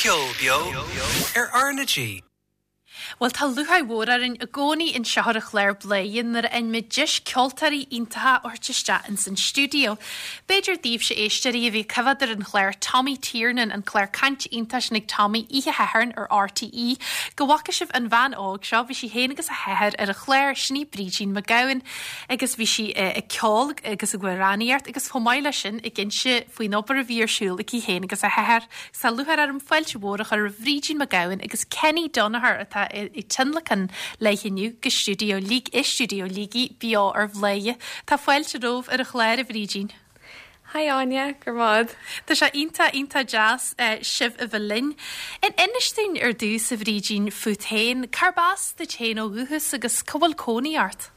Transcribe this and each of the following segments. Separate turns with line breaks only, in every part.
Ceol Beo ar RnaG.
Bhuel, tá lúcháir mhór orainn i gcónaí anseo ar an chlár Bladhaire nuair a fhaigheann muid deis ceoltóirí iontacha a thabhairt isteach ins an stiúideo. B'fhéidir daoibhse éisteoirí a bhí ag coimhéad ar an chlár Tommy Tiernan, an clár cainte iontach sin ag Tommy oíche Shathairn ar RTÉ, go bhfaca sibh an bhean óg seo, bhí sí féin agus a hathair ar an chlár, sin í Brídín McGowan agus bhí sí ag ceol agus ag amhránaíocht agus chomh maith leis sin ag inse faoin obair a bhí ar siúl aici féin agus a hathair. Tá lúcháir orm fáilte mhór a chur roimh Bhrídín McGowan agus Kenny Donoher atá ag tionlacan léi inniu go stiúideo i stiúideo Shligigh beo ar Bhladhaire. Tá fáilte romhaibh ar an chlár, a Bhrídín.
Hi Áine, go raibh maith.
Tá sé iontach, iontach deas sibh a bheith linn. Inis dúinn ar dtús, a Bhrídín, fút féin. Cárb as duit féin ó dhúchas agus cá bhfuil cónaí ort?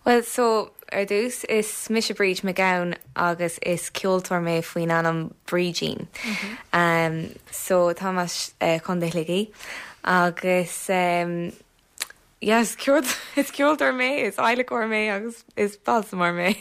Bhuel, so, ar dtús, is mise Bríd McGowan agus is ceoltóir mé faoin ainm Brídín. Um, so, táim as eh, Contae Shligigh agus um, yeah, is ceol- is ceoltóir mé, is adhlacóir mé agus is balsamóir mé.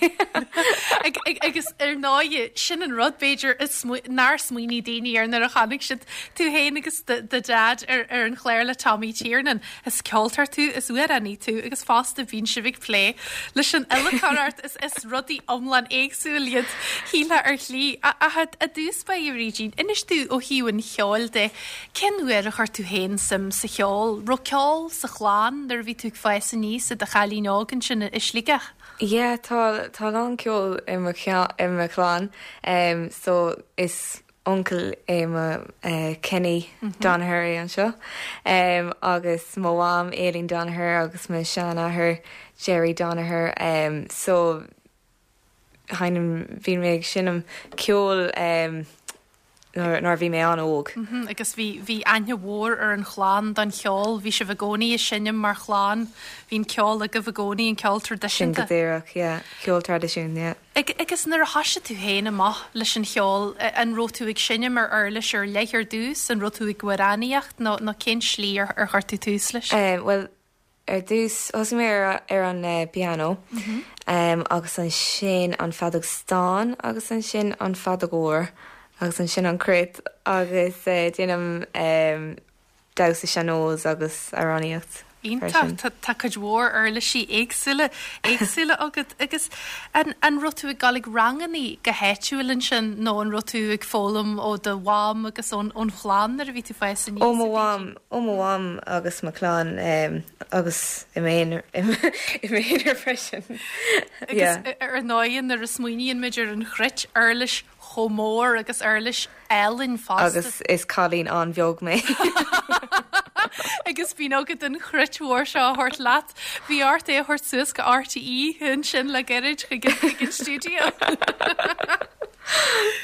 Ag, ag, agus ar ndóigh, sin an rud, b'fhéidir, is smaoi- nár smaoinigh daoine air nuair a chonaic siad tú féin agus do, do Dhaid ar, ar an chlár le Tommy Tiernan. Is ceoltóir tú, is amhránaí tú agus fosta bíonn sibh ag plé leis an adhlacóireacht, is is rudaí iomlán éagsúil iad, shílfeá ar shlí. Ach i dtús báire, a Bhrídín, inis domh ó thaobh an cheoil de, cén uair a chuir tú féin suim sa cheol? Raibh ceol sa chlann nuair a bhí tú ag fás aníos i do chailín óg ansin i Sligeach?
Yeah, tá tá a lán ceoil i mo i mo chlann, so is uncail é mo Kenny Donoher é anseo agus mo mham Aileen Donoher agus mo sheanathair Jerry Donoher so sheinnim bhí mé ag seinm ceoil nuair a bhí mé an-óg.
Agus bhí bhí aithne mhór ar an chlann don cheol, bhí sibh i gcónaí ag seinm mar chlann, bhí an ceol agaibh i gcónaí, an ceol
traidisiúnta. Sin go díreach, yeah, ceol traidisiúnta, yeah.
Agus nuair a thoisigh tú féin amach leis an cheol, an raibh tú ag seinm ar uirlis ar leith ar dtús, an raibh tú ag amhránaíocht nó nó cén slí ar ar chuir tú tús leis?
Bhuel, ar dtús thosaigh mé ar ar an pianó agus ansin an feadóg stáin agus ansin an feadóg mhór agus ansin an cruit agus déanaim damhsa sean-nós agus amhránaíocht
freisin. Iontach, tá cuid mhór uirlisí éagsúla éagsúla agat agus an an raibh tú ag dul ag rangannaí go háitiúil ansin nó an raibh tú ag foghlaim ó do mham agus ón ón chlann nuair a bhí tú ag fás aníos?
Ó mo mham, ó mo mham agus mo chlann agus i m'aonar i m'aonar freisin.
Agus ar ndóigh nuair a smaoiníonn muid ar an chruit, uirlis chomh mór agus uirlis álainn fosta.
Agus is cailín an-bheag mé.
Agus bíonn agat an chruit mhór seo a thabhairt leat. Bhí ort é a thabhairt suas go RTÉ ansin le gairid chuig an stiúideo.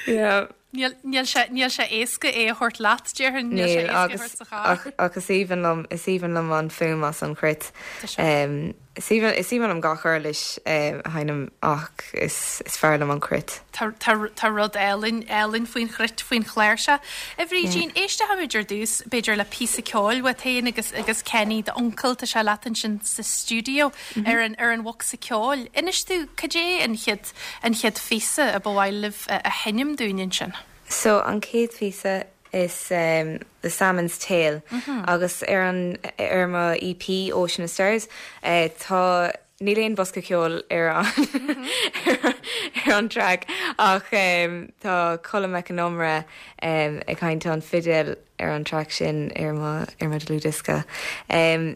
Yeah.
Níl, níl sé, níl sé éasca é a thabhairt leat, déarfainn. Níl sé éasca é a thabhairt sa
charr. Ach, ach is aoibhinn liom, is aoibhinn liom an fuaim as an chruit. Tá sé. Is aoibhinn liom gach uirlis a sheinnim ach is fearr liom an cruit.
Tá rud álainn, álainn faoin chruit, faoin chláirseach. A Bhrídín, éistfimid ar dtús, b'fhéidir le píosa ceoil uait féin agus agus Kenny, d'uncail, tá sé leat ansin sa stiúideo ar an ar an bhocsa ceoil. Inis domh, cad é an chéad an chéad phíosa a ba mhaith libh a sheinm dúinn ansin?
So, an chéad phíosa is The Salmon's Tale agus ar an ar mo EP Ocean of Stars tá níl aon bosca ceoil ar an ar an track ach tá Colm Mac Con Iomaire ag seinnt an fidil ar an track sin ar mo ar mo dlúthdhiosca.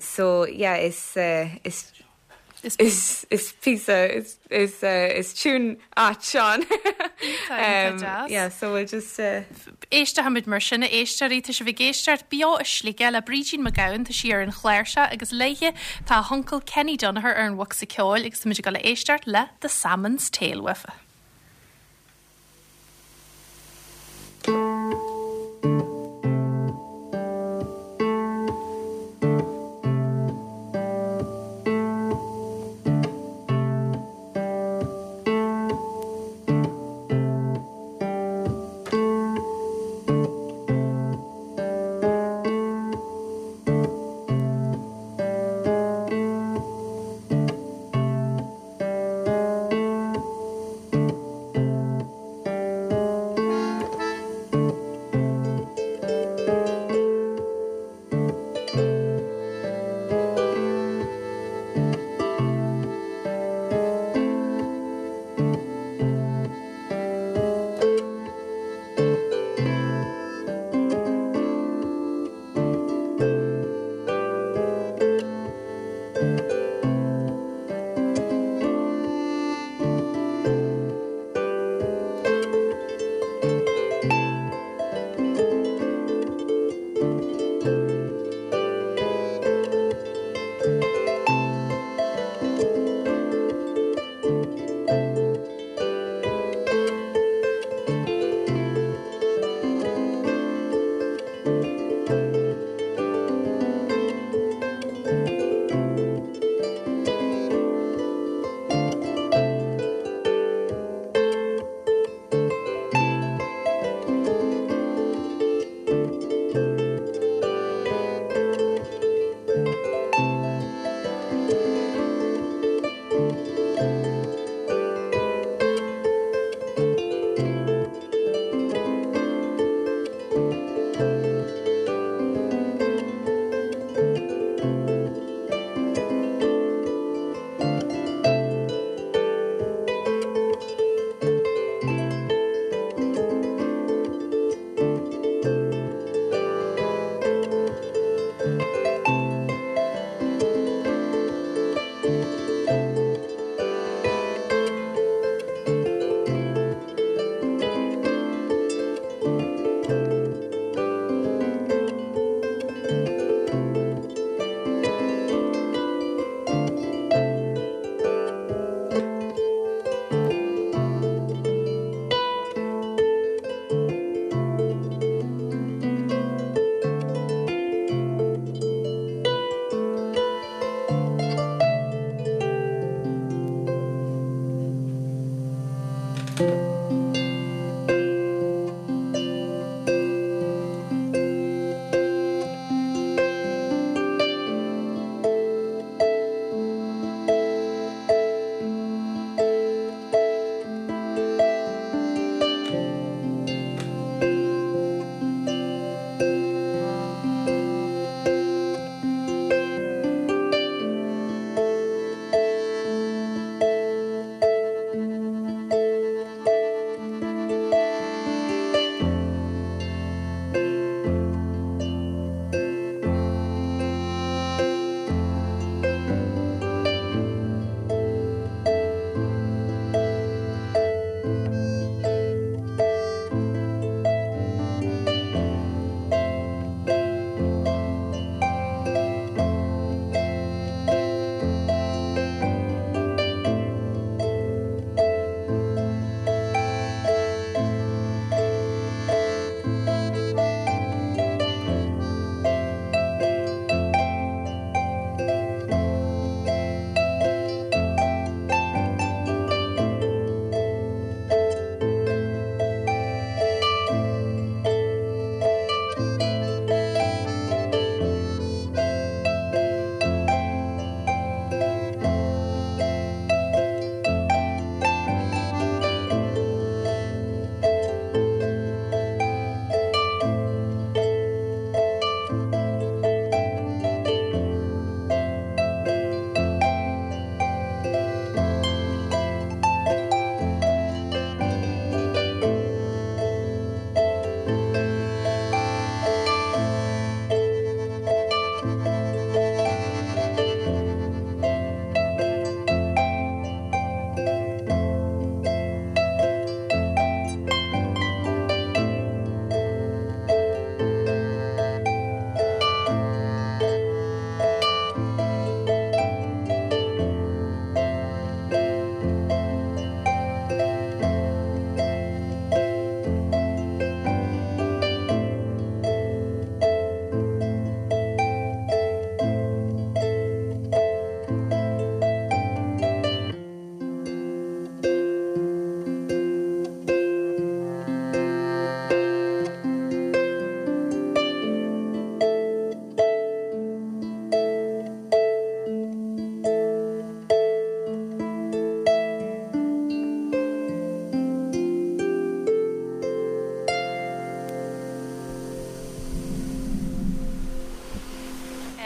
So yeah is is Is píosa, is is tune ait ann.
Iontach deas.
Yeah, so we'll just.
Éistfimid mar sin, a éisteoirí, tá sibh ag éisteacht beo i Sligeach le Brídín McGowan, tá sí ar an chláirseach agus léithe tá a huncail Kenny Donoher ar an bhocsa ceoil agus táimid ag dul a éisteacht le The Salmon's Tale uafa.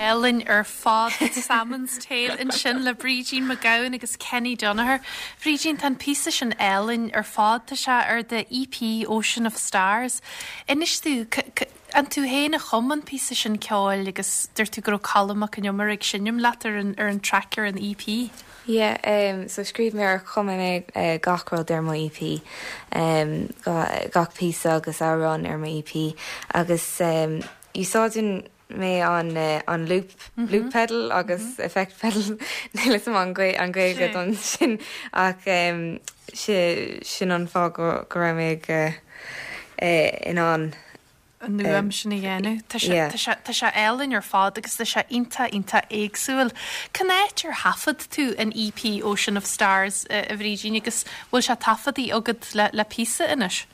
Álainn ar fad, Salmon's Tale ansin le Brídín MacGabhann agus Kenny Donoghue. Brídín, tá an píosa sin álainn ar fad, tá sé ar do EP Ocean of Stars. Inis domh, an tú féin a chum an píosa sin ceoil agus dúirt tú go raibh Colm Mac Con Iomaire ag seinm leat ar an ar an traic ar an EP?
Yeah, so scríobh mé or chum mé gach rud ar mo EP, gach píosa agus amhrán ar mo EP agus úsáideann mé an an loop loop pedal agus effect pedal níl 'fhios a'm an Gaeilge don sin ach sin an fáth go go raibh mé ag in ann
an fhuaim sin a dhéanamh. Tá sé tá sé tá sé álainn ar fad agus tá sé iontach iontach éagsúil. Cén áit ar thaifead tú an EP Ocean of Stars a Bhrídín agus bhfuil sé taifeadtaí agat le le píosa anois?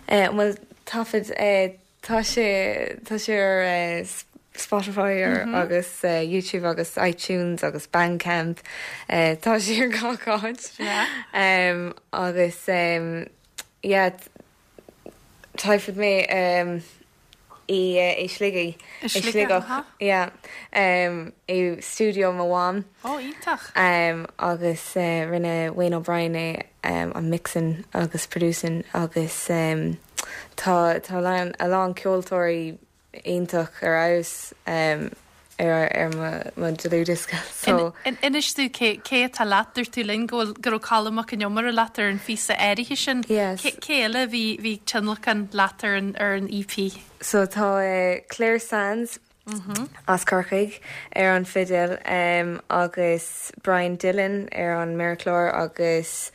Bhuel taifead Tá sé tá sé ar Spotify ar agus YouTube agus iTunes agus Bandcamp. Tá sé ar gach áit. Agus yeah taifead mé i i Sligigh
I Sligeach
yeah i stiúideo mo mham.
Ó iontach.
Agus rinne Wayne O'Brien é an mixing agus producing agus Tá tá a lán ceoltóirí iontach ar fheabhas ar ar mo mo dlúthdhiosca
so. Inis domh cé cé atá leat, dúirt tú linn go bhfuil go raibh Colm Mac Con Iomaire leat ar an phíosa áirithe sin.
Yes.
Cé cé eile a bhí bhí ag tionlacan leat ar an ar an EP?
So tá Clare Sands as Corcaigh ar an fidil agus Brian Dillon ar an méarchlár agus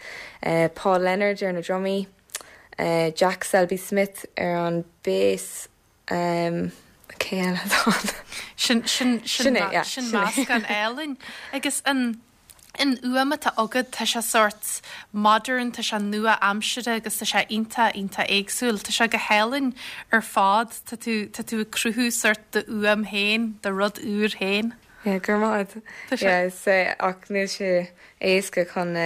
Paul Leonard ar na drumaí. Jack Selby Smith ar an bass, cé eile atá
ann? Sin, sin, sin, sin meascán álainn. Agus an, an fhuaim atá agat, tá sé sórt modern, tá sé nua-aimseartha agus tá sé iontach, iontach éagsúil. Tá sé go hálainn ar fad. Tá tú, tá tú ag cruthú sórt d'fhuaim féin, do rud úr féin.
Yeah, go raibh maith agat. Tá sé. Yeah, is, ach níl sé éasca chun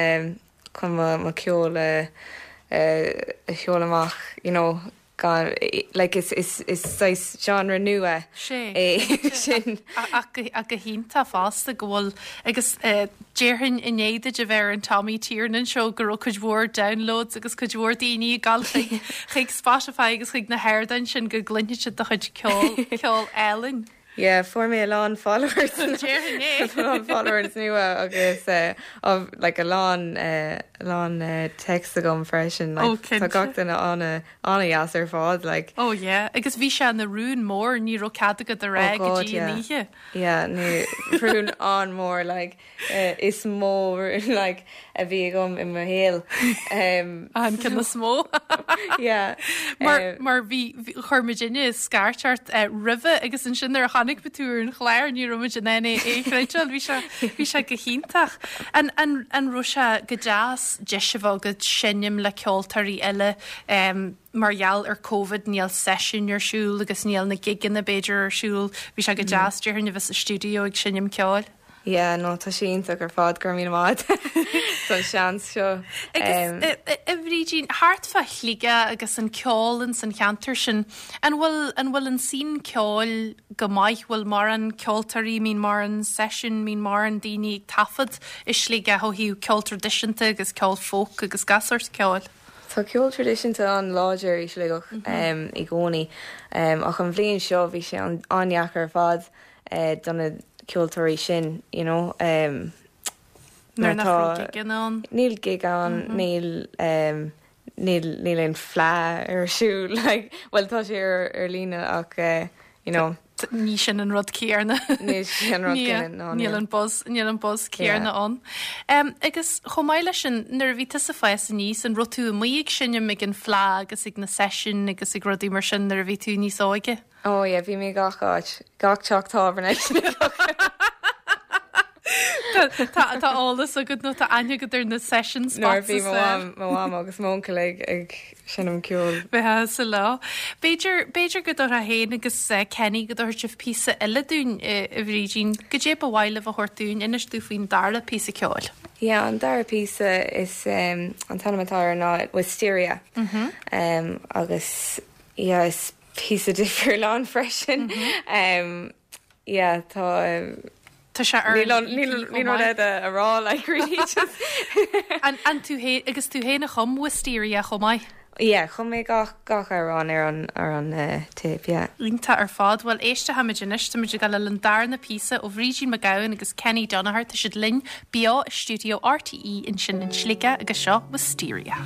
chun mo cheol a sheoladh amach, you know, gan, like is is is saghas genre nua é sin.
Ach go hiontach fosta go bhfuil, agus déarfainn i ndiaidh duit a bheith ar an Tommy Tiernan Show go raibh cuid mhór downloads agus cuid mhór daoine ag dul chuig chuig Spotify agus chuig na hardáin sin go gcluinfidh siad do chuid ceoil, ceol álainn.
Yeah, fuair mé a lán followers.
Déarfainn
é. A lán followers nua agus uh, like a lán uh, a lán uh, text agam freisin. Like, oh, cinnte. Tá gach duine an- an-deas ar fad. Like.
Oh yeah, agus bhí sé ina rún mór, ní raibh cead agat a rá oh, go dtí an oíche.
Yeah, ní rún an-mhór like. is mó like a bhí agam i mo shaol.
An ceann is mó.
Yeah.
Mar mar bhí chuir muidinne scairt ort roimhe agus ansin nuair a chonaic muid tú ar an chlár ní raibh muid in ann é a chreidbheáil. Bhí sé bhí sé go hiontach. An an an raibh sé go deas deis a bheith agat seinm le ceoltóirí eile mar gheall ar Covid níl seisiúin ar siúl agus níl na gigeanna b'fhéidir ar siúl. Bhí sé go deas déarfainn a bheith sa stiúideo ag seinm ceoil.
Yeah, no, tá sé iontach ar fad, go raibh míle maith agat don seans seo.
Agus a Bhrídín, thart fá Shligeach agus an ceol ins an cheantar sin, an bhfuil, an bhfuil an scene ceoil go maith, bhfuil mórán ceoltóirí, mbíonn mórán seisiún, mbíonn mórán daoine ag taifead i Sligeach ó thaobh ceol traidisiúnta agus ceol folk agus gach sórt ceoil?
Tá ceol traidisiúnta an-láidir i Sligeach i gcónaí ach an bhliain seo bhí sé an-deacair ar fad. do na ceoltóirí sin, you know.
Nuair nach raibh gigeanna ann.
Níl gig ann, níl níl níl aon fleadh ar siúl, like, bhuel tá sé ar ar líne ach you know.
Ní sin an rud céanna.
Ní sin an rud céanna,
no, níl. Níl an buzz, níl an buzz céanna ann. Agus chomh maith leis sin, nuair a bhí tusa ag fás aníos, an raibh tú amuigh ag seinm ag an fleadh agus ag na seisiúin agus ag rudaí mar sin nuair a bhí tú níos óige?
Oh yeah, bhí mé gach áit, gach teach tábhairne.
Tá tá eolas agat nó tá aithne agat ar na session spots
Nuair a bhí mo mham, mo mham agus m'uncail ag ag seinm ceoil.
Bheith sa lá. B'fhéidir, b'fhéidir go dtabharfá féin agus Kenny go dtabharfaidh sibh píosa eile dúinn, a Bhrídín. Goidé ba mhaith libh a thabhairt dúinn, inis domh faoin dara píosa ceoil.
Yeah, an dara píosa is an t-ainm atá air ná Wisteria. Agus yeah, is píosa difriúil ann freisin. yeah tá
Tá sé ar
Níl
an
an
EP
níl
chomh
níl rud
maith.
eile a rá like really just
An an tú fhéin agus tú fhéin a chum Wisteria chomh maith?
Yeah chum mé gach gach amhrán ar an ar an eh téip yeah.
Iontach ar fad. Bhuel éistfimid anois, táimid ag dul an darna píosa ó Bhrídín McGowan agus Kenny Donoghue. Tá siad linn beo i stiúideo RTÉ ansin in Sligeach agus seo Wisteria.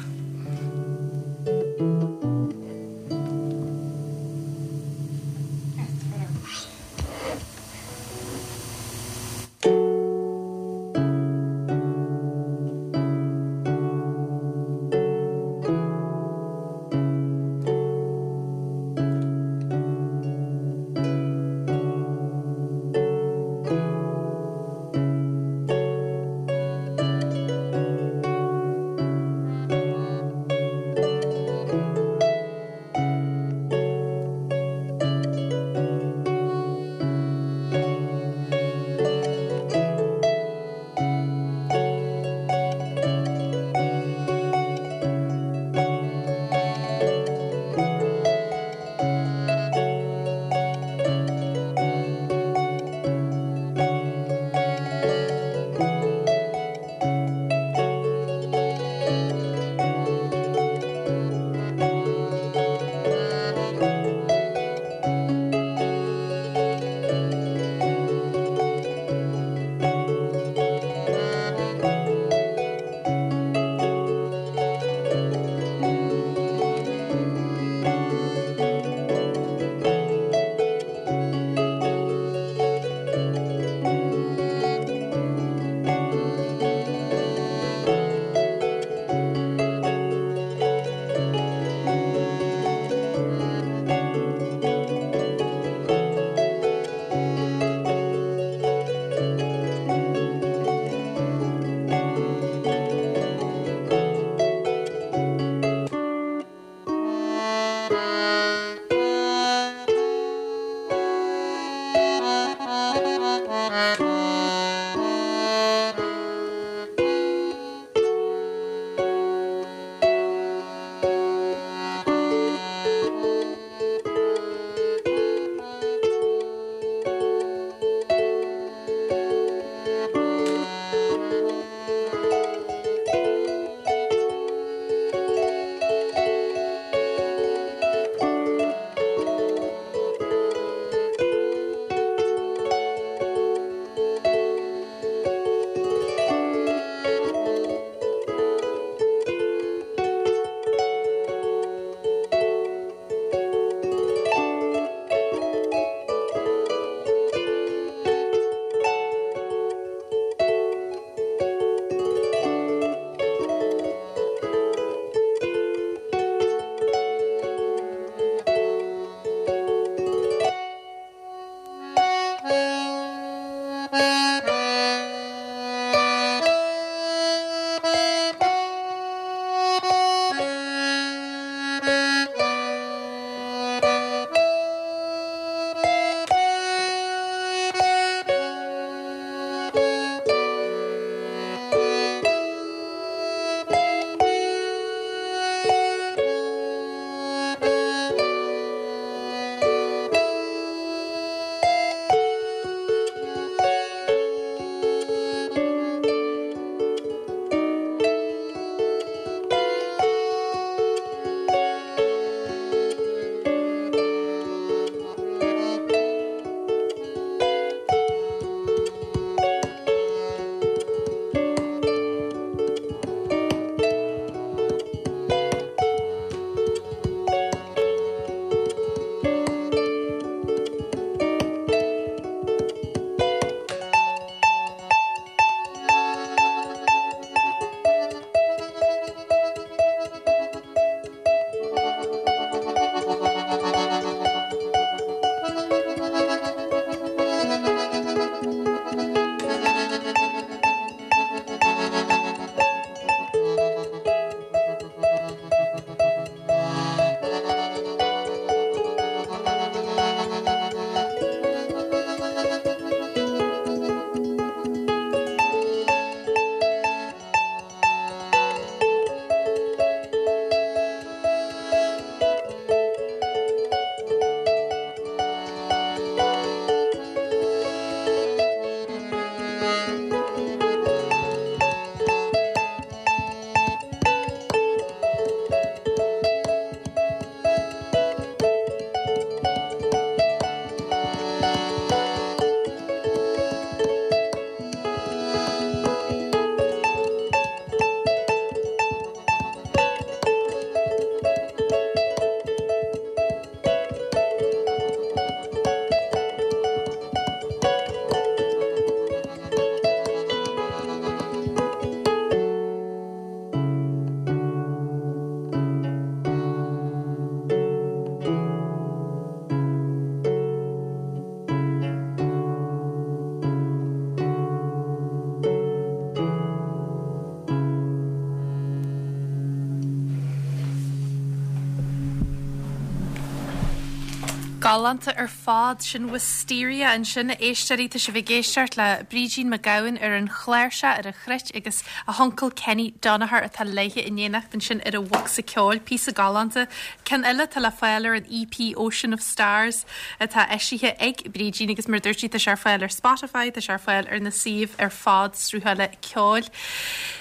Galánta ar fad. Sin Wisteria ansin, a éisteoirí. Tá sibh ag éisteacht le Brídín McGowan ar an chláirseach, ar an chruit agus a huncail Kenny Donoher atá léithe in éineacht ansin ar an bhocsa ceoil. Píosa galánta. Ceann eile atá le fáil ar an EP Ocean of Stars atá eisithe ag Brídín agus mar a dúirt sí tá sé ar fáil ar Spotify, tá sé ar fáil ar na suímh ar fad sruthála ceoil.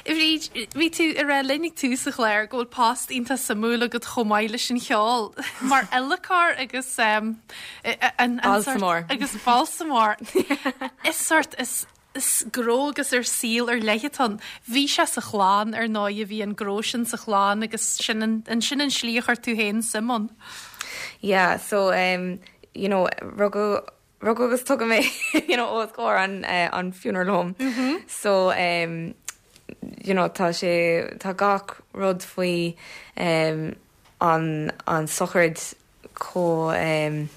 A Bhríd, bhí tú ag rá linn ag tús an chláir go bhfuil post iontach suimiúil agat chomh maith leis an cheol, mar adhlacóir agus an
Balsamóir.
Agus balsamóir. Is sort, is is gnó agus ar saol ar leith atá ann. Bhí sé sa chlann, ar ndóigh, bhí an gnó sin sa chlann agus sin an, sin an slí a chuir tú féin suim ann.
Yeah, so um, you know, rugadh Rugadh agus tógadh mé you know os comhair an an funeral home so um you know tá sé tá gach rud faoi um an an sochraid chomh um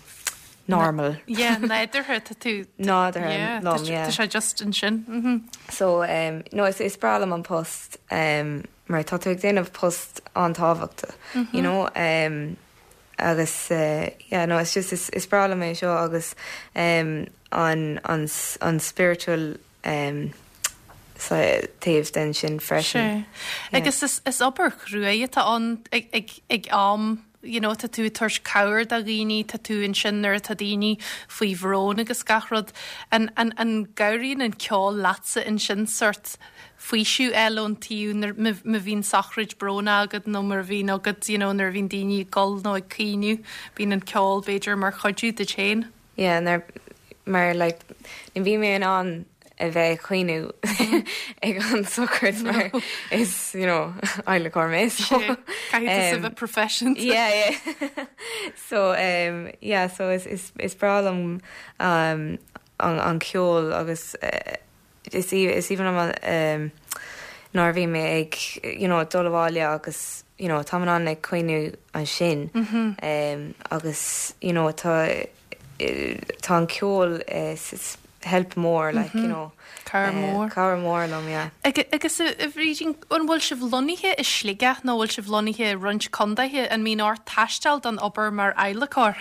normal.
Yeah, nádúrtha tá tú
Nádúrtha yeah,
liom, yeah. Tá sé just ansin.
Mm-hmm. So um no is is breá liom an post um mar tá tú ag déanamh post an-tábhachtach you know um agus yeah no it's just is breá liom é seo agus an an an spiritual taobh den sin freisin.
Sea. Agus is is obair chruaidh atá ann ag ag ag am you know tá tú ag tabhairt cabhair do dhaoine, tá tú ansin nuair atá daoine faoi bhrón agus gach rud. An an an gcabhraíonn an ceol leatsa ansin sort faoiseamh a fháil ón taobh nuair, má bhíonn sochraid brónach agat nó mar a bhíonn agat you know nuair a bhíonn daoine ag gol nó ag caoineadh, bíonn an ceol b'fhéidir mar chuidiú duit féin.
Yeah, nuair, mar like ní bhíonn mé in ann a bheith ag caoineadh ag an sochraid mar is you know adhlacóir mé so
Caithfidh tú a bheith professional.
Yeah, yeah. So um, yeah, so is, is, is breá liom um, an, an ceol agus uh, Is aoibhinn liom nuair a bhí mé ag you know dul abhaile agus you know táim in ann ag caoineadh ansin agus you know tá tá an ceol is help mór like you know
Cabhair mór.
Cabhair mór liom yeah.
Agus a Bhrídín, an bhfuil sibh lonnaithe i Sligeach nó bhfuil sibh lonnaithe i roinnt condaetha? An mbíonn ort taisteal don obair mar adhlacóir?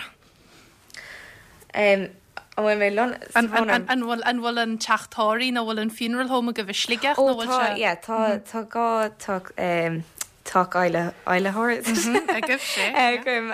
An bhfuil mé lon-.
An bhfuil, an bhfuil an teach tórraimh nó bhfuil an funeral home agaibh i Sligeach nó bhfuil
sé? Ó tá, yeah, tá, tá dhá teach, teach adhlacóir
agaibh, sé,
againn,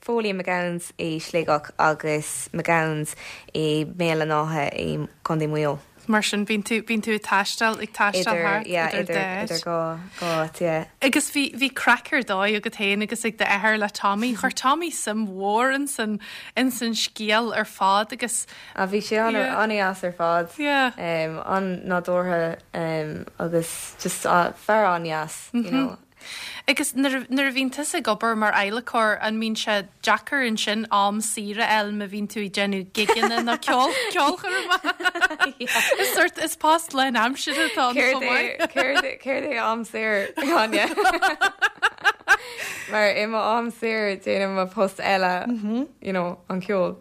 Foley McGowan's i Sligeach agus McGowan's i mBéal an Átha i gContae Mhaigh Eo.
Mar sin, bíonn tú, bíonn tú ag taisteal, ag taisteal
thart idir dá áit. Idir dhá, dhá áit, yeah.
Agus bhí, bhí craic ar dóigh agat féin agus ag d'athair le Tommy. Chuir Tommy suim mhór ins an, ins an scéal ar fad agus.
Ah, bhí sé an,
Yeah.
an-dheas ar fad.
Yeah.
An-nádúrtha agus just fear an-dheas, you know.
Agus nuair a bhíonn tusa ag obair mar adhlacóir, an mbíonn sé deacair ansin am saor a fháil má bhíonn tú ag déanamh gigeanna nó ceol, ceolchoirmeacha? Is sort, is post lánaimseartha atá ann chomh
maith. Céard é, céard é am saor, Áine? Mar i mo am saor déanaim mo post eile, you know, an ceol.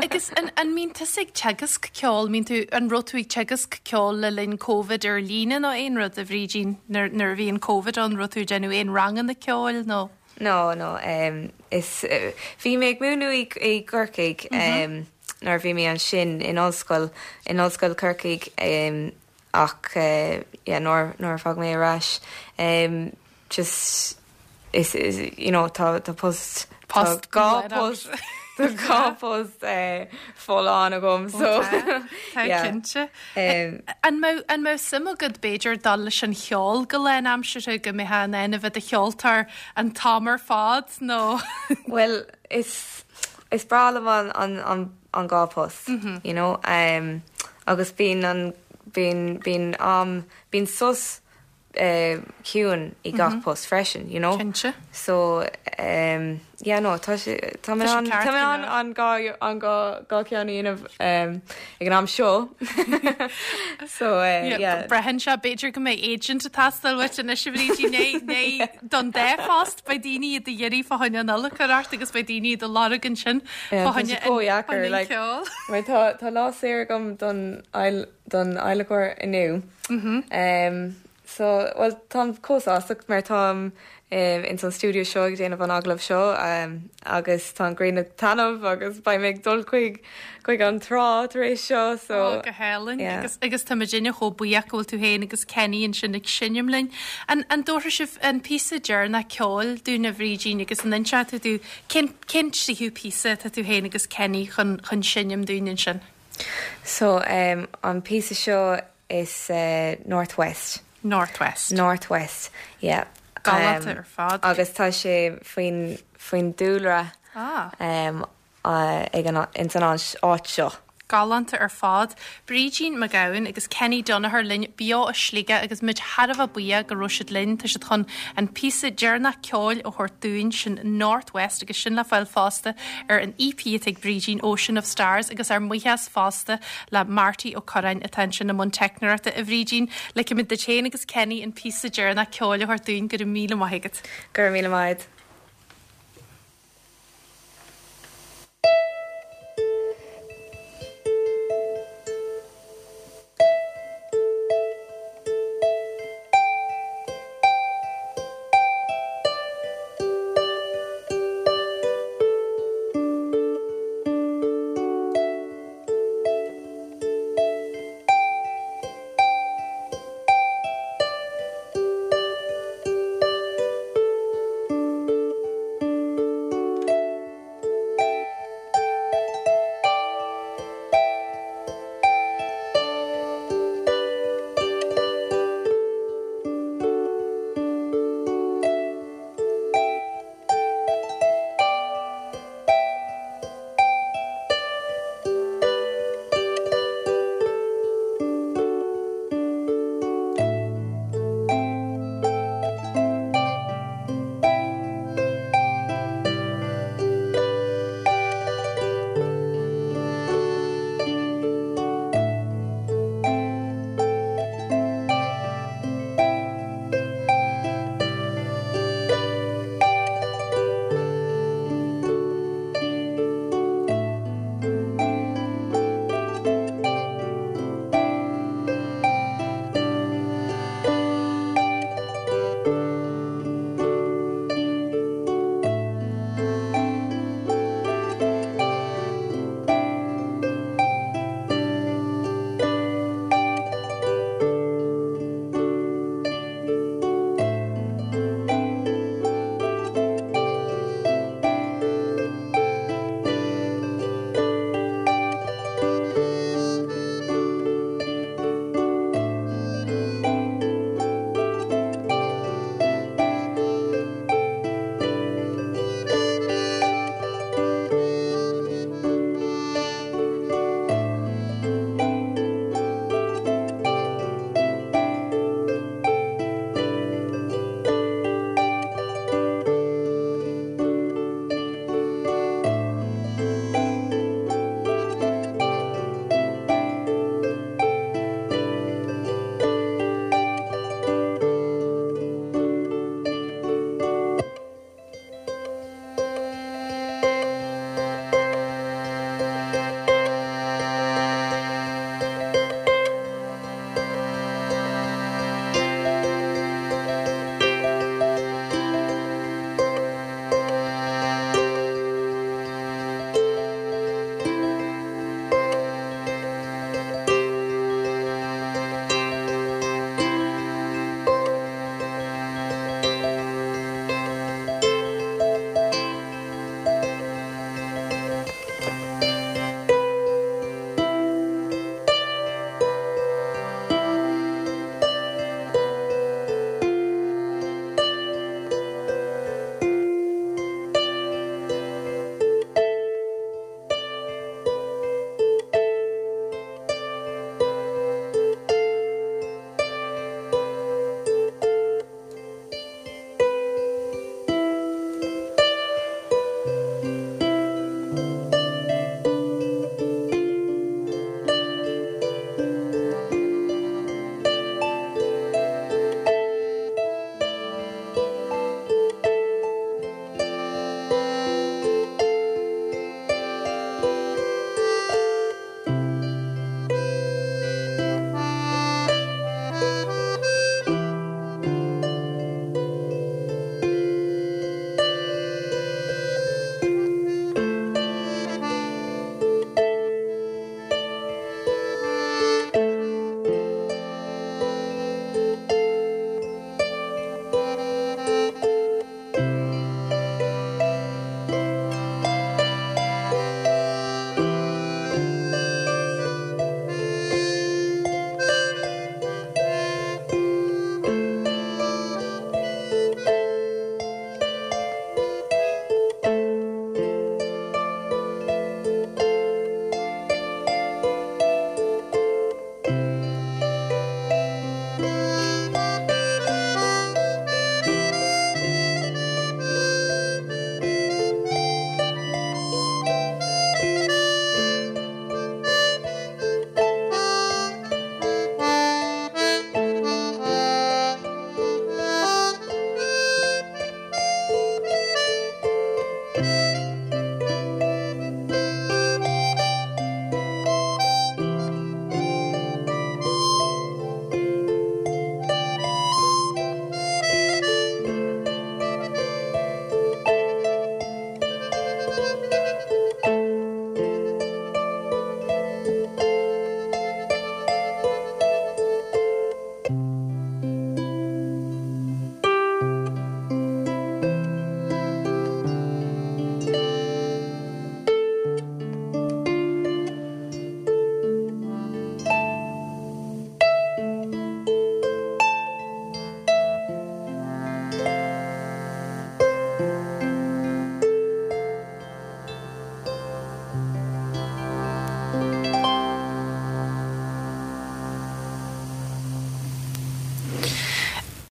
Agus an mbíonn tusa ag teagasc ceoil, mbíonn tú, an raibh tú ag teagasc ceoil le linn Covid ar líne nó aon rud, a Bhrídín, nuair, nuair a bhí an Covid ann, raibh tú ag déanamh aon ranganna ceoil nó?
No, no, is, bhí mé ag múineadh i gCorcaigh nuair a bhí mé ansin in ollscoil, in Ollscoil Chorcaigh ach yeah nuair, nuair a tháinig mé ar ais just is, is, you know, tá, tá post, tá dhá post, tá dhá post folláin agam so
Tá yeah. cinnte. An mbeadh, an mbeadh suim agat b'fhéidir dul leis an cheol go lánaimseartha, go mbeifeá in ann a bheith i do cheoltóir an t-am ar fad nó?
Bhuel is, is breá liom an, an, an, an dhá post, you know, agus bíonn an, bíonn, bíonn am, bíonn sos ciúin i gach post freisin, you know.
Cinnte.
So, yeah, no, tá sé, tá mé in ann, tá mé in ann an dhá, an dhá, dhá cheann a dhéanamh ag an am seo. So, yeah.
Braitheann sé, b'fhéidir go mbeidh agent ag teastáil uait anois a Bhrídín, nó, nó don dá phost, beidh daoine i do iarraidh fá choinne an adhlacóireacht agus beidh daoine i do lorg ansin fá choinne an ceol.
Mar tá, tá lá saor agam don, don adhlacóir inniu. So, bhuel, táim chomh sásta mar táim ins an stiúideo seo ag déanamh an agallamh seo agus tá an ghrian ag taitneamh agus beidh mé ag dul chuig chuig an trá tar éis seo so.
Ó, go hálainn.
Yeah.
Agus agus tá muidinne chomh buíoch go bhfuil tú féin agus Kenny ansin ag seinm linn. An an dtabharfaidh sibh an píosa deireanach ceoil dúinn a Bhrídín agus an inseoidh tú dúinn cén cén tríú píosa atá tú féin agus Kenny chun chun seinm dúinn ansin?
So, an píosa seo Is North West.
North West.
North West, yeah.
Galánta ar fad.
Agus tá sé faoin, faoin dúlra.
Ah.
Ag an, ins an áit seo.
Galánta ar fad. Brídín Mac Gabhann agus Kenny Donoghue linn beo as Sligeach agus muid thar a bheith buíoch go raibh siad linn. Tá siad chun an píosa deireanach ceoil a thabhairt dúinn, sin North West agus sin le fáil fosta ar an EP atá ag Brídín, Ocean of Stars agus ár mbuíochas fosta le Marty Ó Curráin atá ansin i mbun teicneoireachta. A Bhrídín, ligfimid duit féin agus Kenny an píosa deireanach ceoil a thabhairt dúinn. Go raibh míle maith agat.
Go raibh míle maith agat.